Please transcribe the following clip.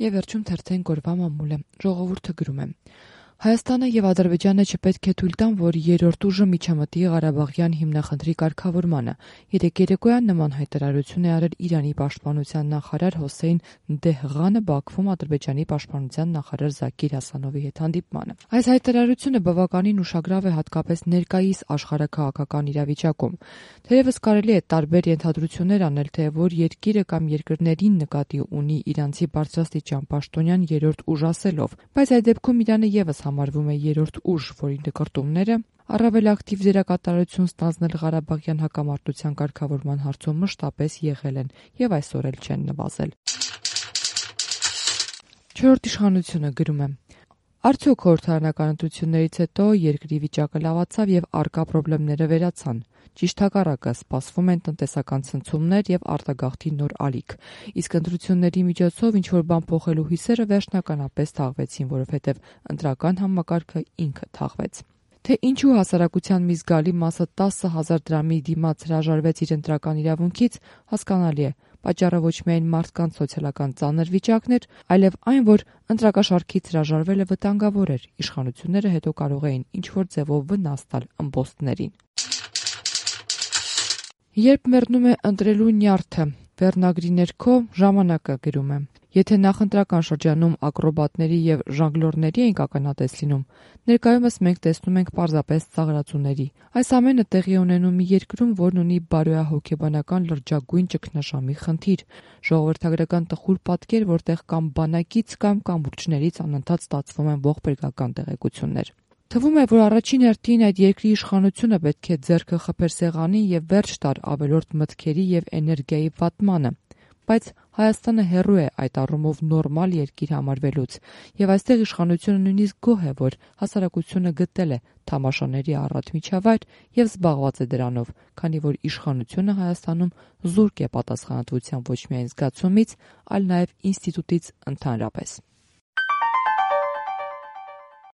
Եվ վերջում թերթեն գորվա մամուլը, ժողովուրդը գրում է. Հայաստանը եւ Ադրբեջանը չպետք է թույլ տան, որ երրորդ ուժը միջամտի Ղարաբաղյան հիմնախնդրի կարգավորմանը։ Երեկ երեկոյան նման հայտարարություն է արել Իրանի պաշտպանության նախարար Հոսեյն Դեհղանը Բաքվում Ադրբեջանի պաշտպանության նախարար Զաքիր Հասանովի հետ հանդիպմանը։ Այս հայտարարությունը բավականին ուշագրավ է հատկապես ներկայիս աշխարհաքաղաքական իրավիճակում։ Թերևս կարելի է տարբեր ենթադրություններ անել, թե որ երկիրը կամ երկրներին նկատի ունի իրանցի բարձրաստիճան պաշտոնյան երրորդ ուժ ասելով, բայց այդ դեպքում Իրանը եւս համարվում է երրորդ ուժ, որի նկարտումները առավել ակտիվ դերակատարություն ստանձնել Ղարաբաղյան հակամարտության կարգավորման հարցում մշտապես եղել են եւ այսօր էլ չեն նվազել։ Չորրորդ իշխանությունը գրում է. Արդյոք խորհրդարանական ընտրություններից հետո երկրի վիճակը լավացավ եւ առկա խնդիրները վերացան։ Ճիշտ հակառակը, սպասվում են տնտեսական ցնցումներ եւ արտագաղթի նոր ալիք։ Իսկ ընտրությունների միջոցով ինչ-որ բան փոխելու հույսերը վերջնականապես թաղվեցին, որովհետեւ ընտրական համակարգը ինքը թաղվեց։ Թե ինչու հասարակության մի զգալի մասը 10,000 դրամի դիմաց հրաժարվեց իր ընտրական իրավունքից, հասկանալի է։ Պատճառը ոչ միայն մարդկանց սոցիալական ծանր վիճակն էր, այլև այն, որ ընտրակաշառքից հրաժարվելը վտանգավոր էր։ Իշխանությունները հետո կարող էին ինչ-որ ձևով վնաս տալ ըմբոստներին։ Երբ մեռնում է ընտրելու նյարդը, վերնագրի ներքո ժամանակը գրում է. Եթե նախընտրական շրջանում ակրոբատների եւ ժանգլորների ենք ականատես լինում, ներկայումս մենք տեսնում ենք պարզապես ծաղրածուների։ Այս ամենը տեղի ունենում մի երկրում, որն ունի բարոյահոգեբանական լրջագույն ճգնաժամի խնդիր, ժողովրդագրական տխուր պատկեր, որտեղ կամ բանակից կամ կամուրջներից անընդհատ ստացվում են ողբերգական տեղեկություններ։ Թվում է, որ առաջին հերթին այդ երկրի իշխանությունը պետք է ձեռքը խփեր սեղանին եւ վերջ տար ավելորդ մտքերի եւ էներգիայի վատմանը, բայց Հայաստանը հեռու է այդ առումով նորմալ երկիր համարվելուց, եւ այստեղ իշխանությունը նույնիսկ գոհ է, որ հասարակությունը գտել է թամաշաների առատ միջավայր եւ զբաղված է դրանով, քանի որ իշխանությունը Հայաստանում զուրկ է պատասխանատվության ոչ միայն զգացումից, այլ նաեւ ինստիտուտից ընդհանրապես։